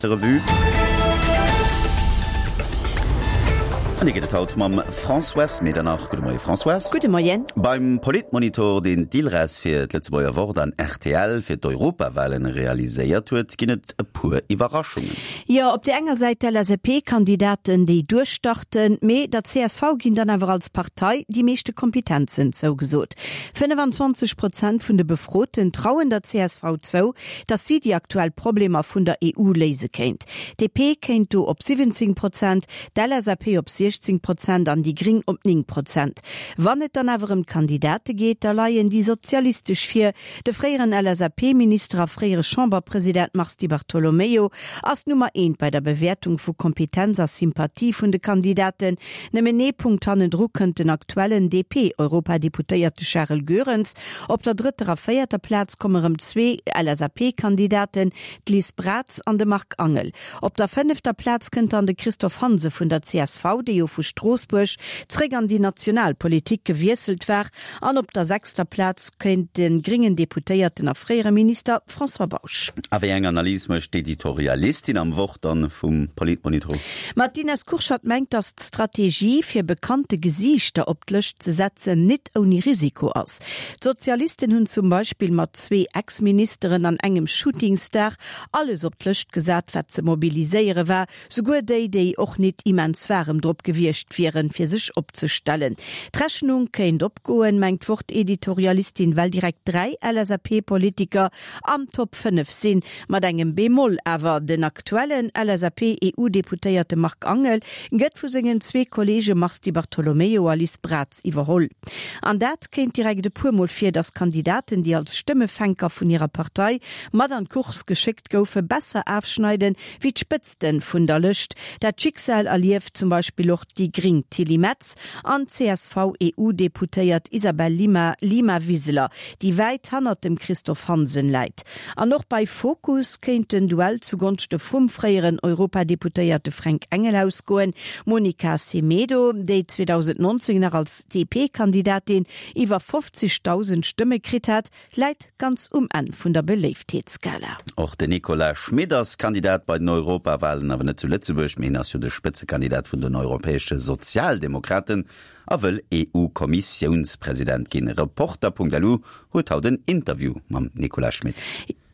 Revue. An déi gëtt et haut mam Françoise Medernach. Gudde Moie Françoise. Gudde Moien. Beim Politmonitor, deen d'ILRES fir d'Lëtzebuerger Wort an rtl fir d'Europawahlen realiséiert huet, ginn et e puer Iwwerraschungen. Jo, op där enger Säit d'LSAP-Kandidaten, déi duerchstarten, mee der csv ginn dann awer als Partei déi meeschte Kompetenzen zougesot. 25 Prozent vun de Befroten trauen der csv zou, datt si déi aktuell Problemer vun der EU léise kéint. DP kéint do op 17 Prozent, d'LSAP op 16 Prozent an déi Gring op 9 Prozent. Wann et dann awer ëm d'Kandidate geet, da leien déi Sozialistesch vir. De fréieren LSAP-Minister a fréiere Chamberpresident Mars Di Bartolomeo ass Nummer eent bei der Bewäertung vu Kompetenz a Sympathie vun de Kandidaten. Nëmmen ee Punkt hannendru kënnt den aktuellen DP-Europadeputéierte Charel Goerens. Op der drëtter a véierter Plaz komme rëm zwee LSAP-Kandidaten, d'Liz Braz an de Marc Angel. Op der fënnefter Plaz kënnt dann de Christophe Hansen vun der csv, dee jo vu Stroossbuerg zréck an déi national Politik gewiesselt war. An op der sechster Plaz kéint de gréngen Deputéierten a fréiere Minister François Bausch. A wéi eng Analys mécht d'Editorialistin am Wort dann vum Politmonitor? Ma d'Ines Kurschat mengt, datt d'Strategie, fir bekannte Gesiichter op d'Lëscht ze setzen, nit ouni Risiko ass. D'Sozialisten hunn zum Beispill mat zwee Ex-Ministeren an engem Shootingstar alles op d'Lëscht gesat, wat ze mobiliséiere war, souguer déi, déi och nit immens waarem drop gewiescht wieren, fir sech opzestellen. D'Rechnung kéint opgoen, mengt d'Wort-Editorialistin, well direkt 3 LSAP-Politiker am Top 5 sinn. Mat engem Bémol awer, Den aktuellen LSAP-EU-Deputéierte Marc Angel gëtt vu sengen zwee Kolleege Mars Di Bartolomeo a Liz Braz iwwerholl. An dat kéint direkt e puer Mol vir, datt Kandidaten, déi als Stëmmefänker vun hirer Partei mat an d'Course geschéckt goufe, besser afschneiden, wéi d'Spëtzten vun der Lëscht. Dat Schicksal erlieft zum Beispill och déi gring Tilly Metz an d'CSV-EU-Deputéiert Isabel Lima Lima Wiseler, déi wäit hannert dem Christophe Hansen läit. An och bei Fokus kéint den Duell zugonschte vum fréieren Europadeputéierte Fränk Engel ausgoen. D'Monica Semedo, déi 2019 nach als DP-Kandidatin iwwer 50.000 Stëmme kritt hat, läit ganz um Enn vun der Beléiftheetsskala. Och den Nicolas Schmit ass Kandidat bei den Europawalen, awer net zu Lëtzebuerg, mee hien ass jo de Spëtzekandidat vun den europäesche Sozialdemokraten a wëll EU-Kommissiounspresident ginn. Reporter.lu huet haut en Interview mam Nicolas Schmit.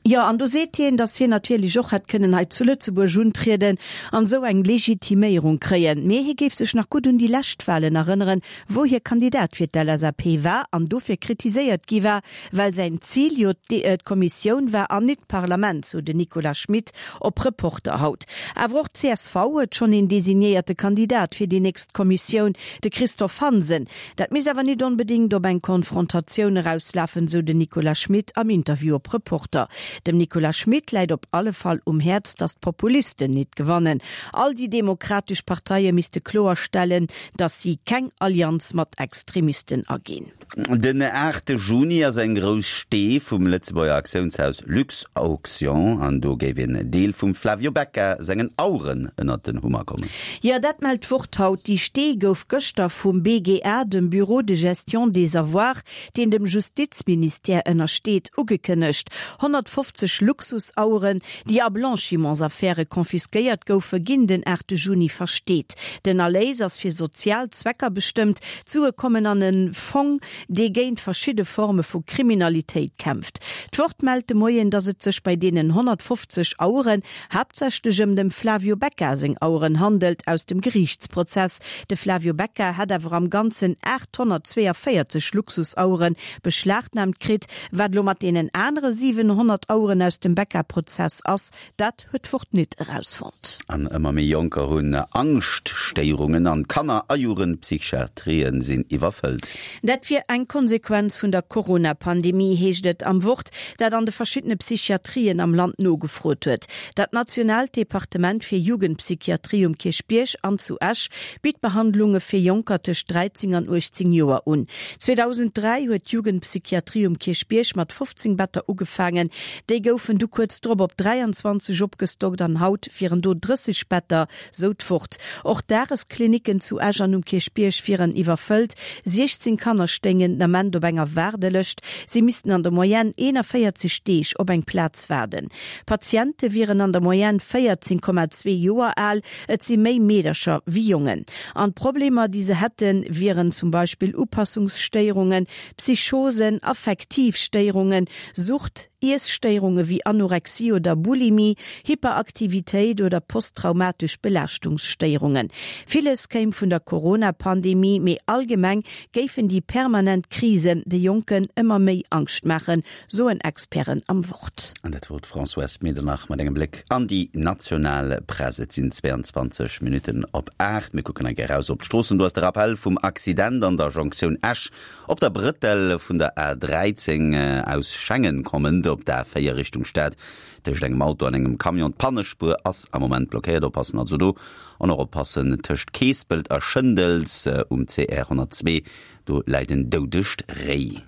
Jo, an do seet hien, datt hien natierlech och hätt kënnen hei zu Lëtzebuerg untrieden an esou eng Legitiméierung kréien. Mee hie géif sech nach gutt un déi lescht Walen erënneren, wou hie Kandidat fir d'LSAP war an dofir kritiséiert gi war, well säin Zil jo d'Kommissioun war an nit d'Parlament, sou den Nicolas Schmit op Reporter haut. Awer och d'CSV huet schonn een designéierte Kandidat fir déi nächst Kommissioun, de Christophe Hansen. Dat misst awer nit onbedéngt op eng Konfrontatioun erauslafen, sou den Nicolas Schmit am Interview op Reporter. Dem Nicolas Schmit läit op alle Fall um Häerz, datt d'Populisten nit gewannen. All déi demokratesch Parteie misste kloerstellen, datt si keng Allianz mat Extremisten aginn. Den aachte Juni ass eng grouss Stee vum Lëtzebuerger Aktiounshaus Luxauction an do géif een Deel vum Flavio Becca sengen Aueren ënnert den Hummer kommen. Jo, dat mellt d'Wort haut. Déi Stee gouf gëschter vum BGA, dem Bureau de gestion des avoirs, deen dem Justizministère ënnersteet, ugekënnegt. 150 Luxusaueren, déi a Blanchimentsaffäre confisquéiert goufen, ginn den 8 Juni versteet. Den Erléis ass fir sozial Zwecker bestëmmt. D'Sue kommen an e Fong, dee géint verschidde Forme vu Kriminalitéit kämpft. D'Wort mellt de Moien, datt et sech bei deenen 150 Aueren haaptsächlech ëm dem Flavio Becca seng Aueren handelt aus dem Geriichtsprozess. De Flavio Becca hätt awer am Ganzen 842 Luxusauere beschlagnaamt kritt. Wat elo mat deenen anere 700 Aueren aus dem Becca-Prozess ass, Dat huet d'Wort nit erausfonnt. An ëmmer méi Jonker hunn Angschtstéierungen an d'Kanner a Jugendpsychiatrien sinn iwwerfëllt. Dat wier eng Konsequenz vun der Corona-Pandemie, heescht et am Wort, dat an de verschiddene Psychiatrien am Land nogefrot huet. Dat nationaalt Departement fir Jugendpsychiatrie um Kierchbierg an zu Esch bitt Behandlunge fir Jonker tëscht 13 an 18 Joer un. 2003 huet d'Jugendpsychiatrie um Kierchbierg mat 15 Better ugefaangen. Déi goufen du kuerz drop op 23 opgestockt an haut wieren do 30 Better, sou d'Wort. Och d'Dagesklinicken zu Esch an um Kierchbierg wieren iwwerfëllt. 16 Kanner stéingen den Ament op enger Waardelëscht. Si missten an der Moyenne 41 Deeg op eng Plaz waarden. D'Patiente wieren an der Moyenne 14,2 Joer al. Et si méi Meedercher wéi Jongen. An d'Problemer, déi se hätten, wieren zum Beispill Upassungsstéierungen, Psychosen, affektiv Stéierungen, Sucht, Iesstéierunge wéi Anorexie oder Bulimie, Hyperaktivitéit oder posttraumatesch Belaaschtungsstéierungen. Villes kéim vun der Corona-Pandemie, mee allgemeng géifen déi permanent Krisen de Jonken ëmmer méi Angscht maachen, soen Experten am Wort. An dat wor d'Françoise Medernach mat engem Bléck an déi national Press. Et sinn 22 Minutten op 8. Mir kucken eng Kéier eraus op d'Stroossen. Do ass de Rappell vum Accident an der Jonktioun Esch op der Brëttel vun der A 13 aus Schengen kommend op d'A 4 Richtung Stad tëscht engem Auto an engem Camion. D'Pannespuer ass am Moment blockéiert. Oppassen also do an och oppassen tëscht Keespelt a Schëndels um CR 102. Do läit en doudegt Réi.